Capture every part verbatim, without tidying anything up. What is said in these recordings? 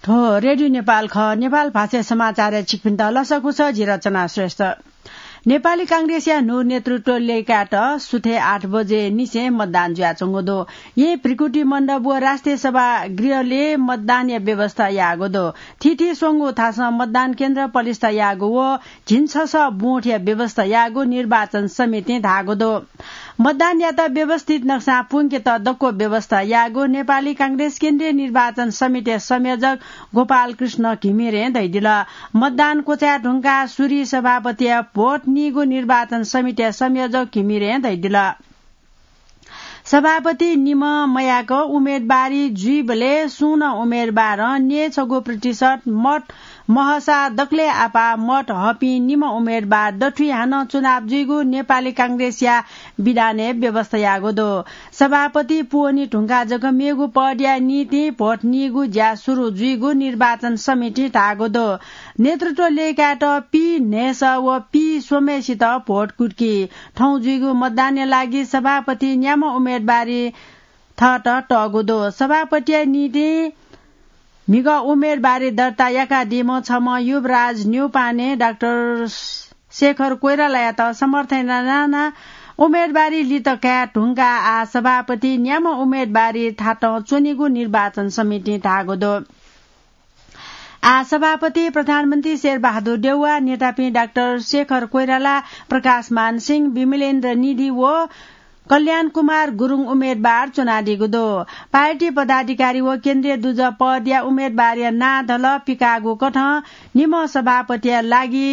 थ्व रेडियो नेपाल खः। नेपाल भाषा समाचारय् छिकपिन्त लसकुस, जि रचना श्रेष्ठ। नेपाली कांग्रेसया न्हू नेतृत्व लय्कायेत सुथय् आठ बजे निसें मतदान जुयाच्वंगु दु। येँ भृकुटी मण्डप व राष्ट्रिय सभागृहलय् मतदानया व्यवस्था याःगु दु। थीथी स्वंगू थासं मतदान केन्द्र पलिस्था याःगु व झिंछसः बुथया व्यवस्था याःगु निर्वाचन समितिं धाःगु दु। मतदानयात व्यवस्थित नक्सां पुंकेत दक्व व्यवस्था याःगु नेपाली कांग्रेस केन्द्रीय निर्वाचन समितिया संयोजक गोपाल कृष्ण घिमिरें धयादिल। मतदान क्वचाये धुंकाः सुरु सभापतिया भोट नीगु निर्वाचन समितिया संयोजक घिमिरें धयादिल। सभापति निम्ह मयाक उम्मेदवारी जुइबलय् सुं नं उम्मेदवारं न्यय्छगू प्रतिशत मत महसा दकलय् आपाः मत हःपिं निम्ह उम्मेदवार दथुइ हानं चुनाव जुइगु नेपाली कांग्रेसया विधानय् व्यवस्था याःगु दु। सभापति पूवनी धुंकाः जक मेगु पदया निंतिं भोट नीगु ज्या सुरु जुइगु निर्वाचन समितिं धाःगु दु। नेतृत्व लय्कायेत पी न्हय्सः व पी स्वम्हय्सित भोट कुतुकी। थौं जुइगु मतदानया लागि सभापति न्याम्ह उम्मेदवारी थःत तःगु दु। सभापतिया निंतिं म्हिगः उम्मेदवारी दर्ता याकादीम्ह छम्ह युवराज न्यौपाने डाक्टर शेखर कोइरालायात समर्थन यानाः उम्मेदवारी लित काये धुंकाः आः सभापति न्याम्ह उम्मेदवारी थातं च्वनीगु निर्वाचन समितिं धाःगु दु। आः सभापति प्रधानमन्त्री शेरबहादुर देउवा, नेतापिं डाक्टर शेखर कोइराला, प्रकाशमान सिंह, विमलेन्द्र निधि व कल्याण कुमार गुरुङ उम्मेदवार च्वनादीगु दु। पार्टी पदाधिकारी व केन्द्रीय दुजः पदया उम्मेदवारया नां धलः पिकाःगु कथं निम्ह सभापतिया लागि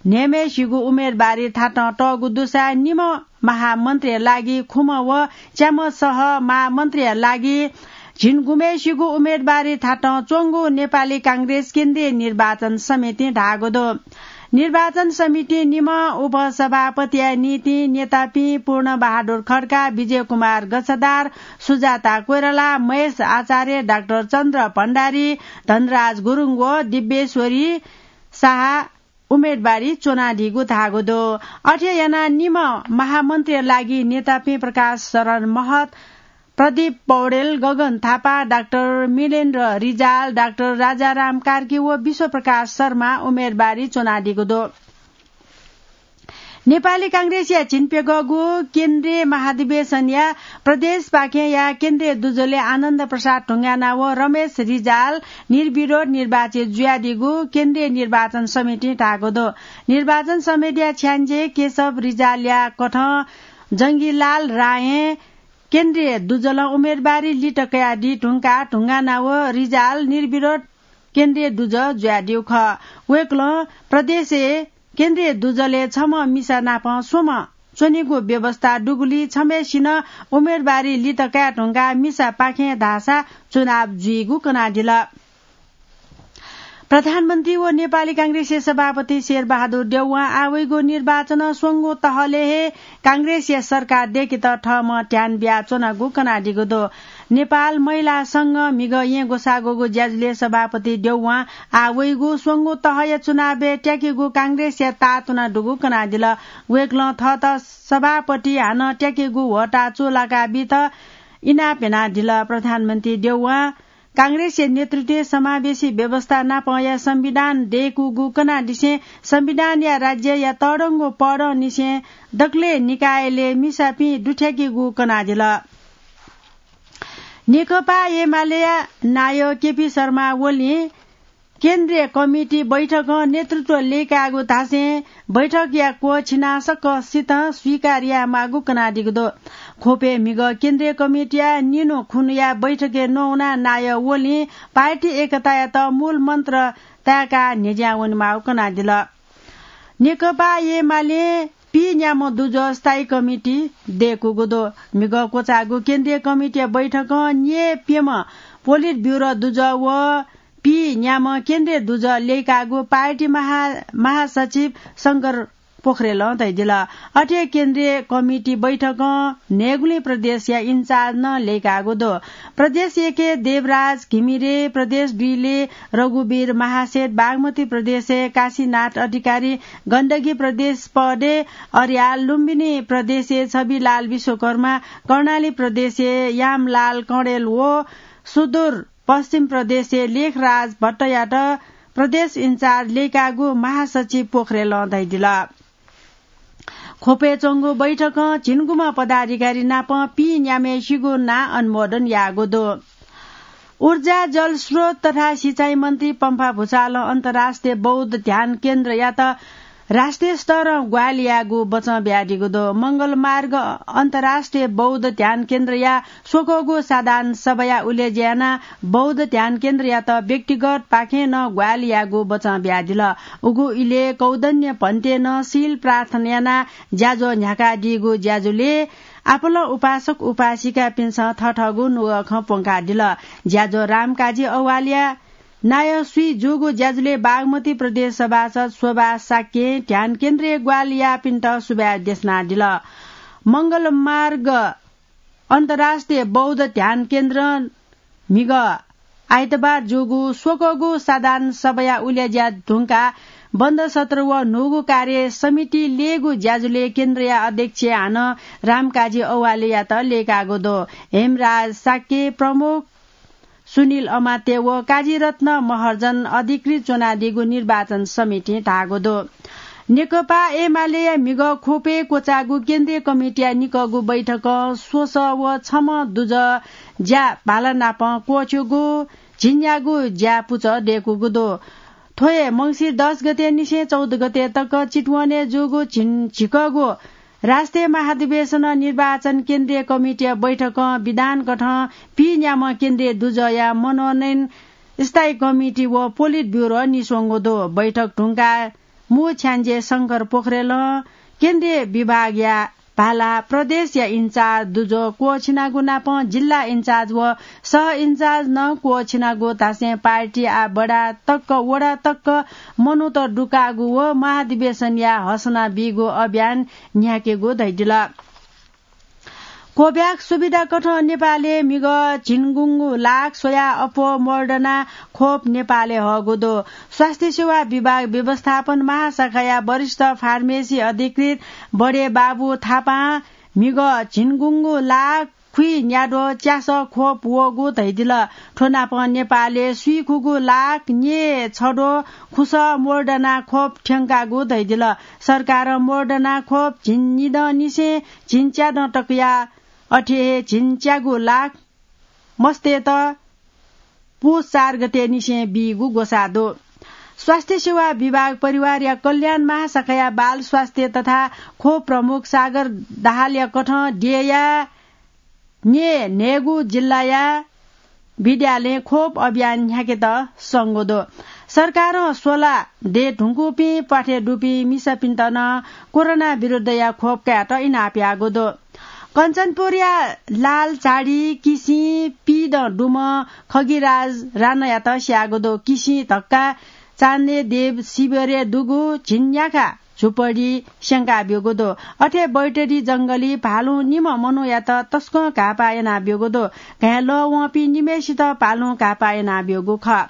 न्हय्म्हय्सिगु उम्मेदवारी थातं तःगु दुसा निम्ह महामन्त्रीया लागि खुम्ह व च्याम्ह सह महामन्त्रीया लागि झिंगुम्हय्सिगु उम्मेदवारी थातं च्वंगु नेपाली कांग्रेस केन्द्रीय निर्वाचन समितिं धाःगु दु। निर्वाचन समितिं निम्ह उपसभापतिया निंतिं नेतापिं पूर्ण बहादुर खड्का, विजय कुमार गच्छदार, सुजाता कोइराला, महेश आचार्य, डाक्टर चन्द्र भण्डारी, धनराज गुरुङ व दिव्येश्वरी शाह उम्मेदवारी च्वनादीगु धाःगु दु। अथे यानाः निम्ह महामन्त्रीया लागि नेतापिं प्रकाश शरण महत, प्रदीप पौडेल, गगन थापा, डाक्टर मिलेन्द्र रिजाल, डाक्टर राजाराम कार्की व विश्वप्रकाश शर्मा उम्मेदवारी च्वनादीगु दु। नेपाली कांग्रेसया झिंप्यघःगु केन्द्रीय महाधिवेशनया प्रदेशपाखेंया केन्द्रीय दुजलय् आनन्द प्रसाद ढुङ्गाना व रमेश रिजाल निर्विरोध निर्वाचित जुयादीगु केन्द्रीय निर्वाचन समितिं धाःगु दु। निर्वाचन समितिया छ्याञ्जे केशव रिजालया कथं जंगीलाल रायं केन्द्रीय दुजलं उम्मेदवारी लित कयादी धुंकाः ढुङ्गाना व रिजाल निर्विरोध केन्द्रीय दुजः जुयादीगु खः। वय्कलं प्रदेशय् केन्द्रीय दुजलय् छम्ह मिसा नाप स्वम्ह च्वनीगु व्यवस्था दुगुलिं छम्हय्सिनं उम्मेदवारी लित काये धुंकाः मिसापाखें धाःसा चुनाव जुइगु कनादिल। प्रधानमन्त्री व नेपाली कांग्रेसया सभापति शेरबहादुर देउवां आः वइगु निर्वाचनं स्वंगू तहलय् हे कांग्रेसया सरकार दय्केत थःम्हं ध्यान बियाच्वनागु कनादीगु दु। नेपाल महिला संघं म्हिगः येँ ग्वसाः ग्वःगु ज्याझ्वलय् सभापति देउवां आः वइगु स्वंगू तहया चुनावय् त्याकेगु कांग्रेसया ताःतुना दुगु कनादिल। वय्कलं थःत सभापति हानं त्याकेगु ह्वःताः चूलाका बीत इनाप यानादिल। प्रधानमन्त्री देउवां कांग्रेसया नेतृत्वय् समावेशी व्यवस्था नापंया संविधान दय्कूगु कनादिसें संविधानया राज्यया तःधंगु पदंनिसें दकलय् निकायलय् मिसापिं दुथ्याकेगु कनादिल। नेकपा एमालेया नायः केपी शर्मा ओलीं केन्द्रीय कमिटी बैठकं नेतृत्व लय्कायेगु धासें बैठकया क्वःछिनाः सकसितं स्वीकार यायेमाःगु कनादीगु दु। ख्वपय् म्हिगः केन्द्रीय कमिटीया निन्हु खुन्हुया बैठकय् नवानाः नायः ओलीं पार्टी एकतायात मूल मन्त्र ताय्काः न्ह्यज्यां वनेमाःगु कनादिल। नेकपा एमालें पीन्याम्ह दुजः स्थायी कमिटी दय्कूगु दु। म्हिगः क्वचाःगु केन्द्रीय कमिटीया बैठकं न्यय्प्यम्ह पोलिट ब्युरो दुजः व पीन्याम्ह केन्द्रीय दुजः लय्काःगु पार्टी महा-, महासचिव शंकर पोखरेलं धयादिल। अथे केन्द्रीय कमिटी बैठकं न्हय्गुलिं प्रदेशया इन्चार्ज नं लय्काःगु दु। प्रदेश एकय् देवराज घिमिरे, प्रदेश दुइले रघुवीर महासेठ, बागमती प्रदेशय् काशीनाथ अधिकारी, गण्डकी प्रदेश पदय् अर्याल, लुम्बिनी प्रदेशय् छविलाल विश्वकर्मा, कर्णाली प्रदेशय् यामलाल कँडेल व सुदूर पश्चिम प्रदेशय् लेखराज भट्टयात प्रदेश इन्चार्ज लय्कागु महासचिव पोखरेलं धयादिल। ख्वपय् च्वंगु बैठकं झिंगुम्ह पदाधिकारी नाप पीन्याम्हय्सिगु नां अनुमोदन याःगु दु। ऊर्जा, जलस्रोत तथा सिँचाइ मन्त्री पम्फा भुसालं अन्तर्राष्ट्रिय बौद्ध ध्यान केन्द्रयात राष्ट्रिय स्तरं ग्वाहालि यायेगु बचं बियादीगु दु। मंगलमार्ग अन्तर्राष्ट्रिय बौद्ध ध्यान केन्द्रया स्वक्वःगु साधारण सभाया उलेज्या यानाः बौद्ध ध्यान केन्द्रयात व्यक्तिगतपाखें नं ग्वाहालि यायेगु बचं बियादिल। उगु इलय् कौदन्य भन्तें नं शील प्रार्थना यानाः ज्याझ्वः न्ह्याकादीगु ज्याझ्वलय् आपालं उपासक उपासिकापिन्सं थथःगु नुगः खँ प्वंकादिल। ज्याझ्वः रामकाजी औवालया नायः स्वीजूगु ज्याझ्वलय् बागमती प्रदेश सभासद शोभा शाक्यं ध्यान केन्द्रय् ग्वाहालि याःपिन्त सुभाय् देछानादिल। मंगलमार्ग अन्तर्राष्ट्रिय बौद्ध ध्यान केन्द्रं म्हिगः आइतबार जूगु स्वक्वःगु साधारण सभाया उलेज्या धुंकाः बन्द सत्र व न्हूगु कार्य समिति लय्‌गु ज्याझ्वलय् केन्द्रया अध्यक्ष हानं रामकाजी औवालयात लय्‌कागु दु। हेमराज शाक्य प्रमुख, सुनिल अमात्य व काजीरत्न महर्जन अधिकृत च्वनादीगु निर्वाचन समितिं धाःगु दु। नेकपा एमालेया म्हिगः ख्वपय् क्वचाःगु केन्द्रीय कमिटीया निकःगु बैठकं स्वसः व छम्ह दुजः ज्या भाला नाप क्वःछ्यूगु झिंन्यागू ज्या पुचः दय्‌कूगु दु। थ्व हे मंसिर दस गते निसें चौध गते तक चितवनय् जूगु झिन-, झिकःगु राष्ट्रिय महाधिवेशनं निर्वाचन केन्द्रीय कमिटीया बैठकं विधानकथं पीन्याम्ह केन्द्रीय दुजःया मनोनयन स्थायी कमिटी व पोलिट ब्युरो निस्वंगु दु। बैठक धुंकाः मू छ्याञ्जे शंकर पोखरेलं केन्द्रीय विभागया भाला प्रदेशया इन्चार्ज दुजः क्वःछिनागु नापं जिल्ला इन्चार्ज व सह इन्चार्ज नं क्वःछिनागु धासें पार्टी आः वडा तक, वडा तक मनूत दुकाःगु व महाधिवेशनया हसना बीगु अभियान न्ह्याकेगु धयादिल। कोभ्याक्स सुविधाकथं नेपालय् म्हिगः झिंगुंगू लाख स्वयाः अप्वः मोडर्ना खोप नेपालय् हःगु दु। स्वास्थ्य सेवा विभाग व्यवस्थापन महाशाखाया वरिष्ठ फार्मेसी अधिकृत बडे बाबु थापां म्हिगः झिंगुंगु लाख खुइन्याद्वः च्यासः खोप वःगु धयादिल। थ्व नापं नेपालय् स्वीखुगू लाख न्यय् छद्वः खुसः मोडर्ना खोप थ्यंकागु धयादिल। सरकारं मोडर्ना खोप झिंनिदँनिसें झिंच्यादँ तकया, अथे हे झिंच्यागू लाख मस्तय्त पुस चार गते निसें बीगु ग्वसाः दु। स्वास्थ्य सेवा विभाग परिवारया कल्याण महाशाखाया बाल स्वास्थ्य तथा खोप प्रमुख सागर दाहालया कथं देय्‌या न्यय् न्हय्‌गू जिल्लाया विद्यालयं खोप अभियान न्ह्याकेत संगु दु। सरकारं स्वला दये धुंकूपिं प्वाथय् दुपिं मिसापिन्त नं कोरोना विरुद्धया खोप कायेत इनाप याःगु दु। कञ्चनपुरया लालझाडी किसिं पीदँ दुम्ह खगिराज राणायात स्याःगु दु। किसिं धक्का चान्देदेव शिविरय् दुगु झिंन्याखा झुपडी स्यंका ब्यूगु दु। अथे बैतडी जंगली भालुं निम्ह मनूयात तसकं घाःपाः याना ब्यूगु दु। घाँय् लः वंपिं निम्हय्सित भालुं घाःपाः याना ब्यूगु खः।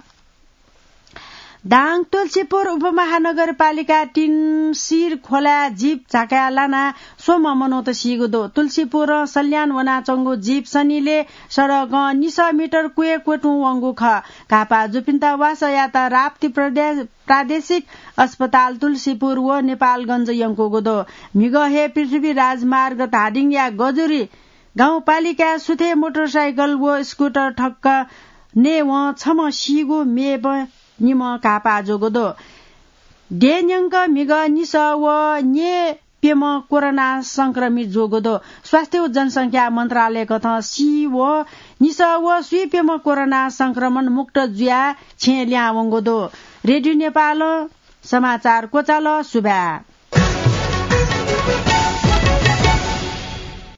दाङ तुलसीपुर उपमहानगरपालिका तीन सिर खोलाय् जीप झाकाय् लानाः स्वम्ह मनूत सीगु दु। तुलसीपुरं सल्यान वनाच्वंगु जीप सनिलय् सडकं निसः मिटर क्वय् क्वतुं वंगु खः। घाःपाः जूपिन्त वासः यायेत राप्ती प्रदे-, प्रादेशिक अस्पताल तुलसीपुर व नेपालगञ्ज यंकूगु दु। म्हिगः हे पृथ्वी राजमार्ग धादिङया गजुरी गाउँपालिकाय् सुथय् मोटरसाइकल व स्कुटर ठक्क नयेवं छम्ह सीगु, मेम्ह निम्ह घाःपाः जूगु दु। देय् न्यंक म्हिगः निसः व न्यय् प्यम्ह कोरोना संक्रमित जूगु दु। स्वास्थ्य व जनसंख्या मन्त्रालयकथं सी व निसः व स्वीप्यम्ह कोरोना संक्रमण मुक्त जुयाः छेँय् लिहां वंगु दु। रेडियो नेपालं समाचार क्वचाल। सुभाय्।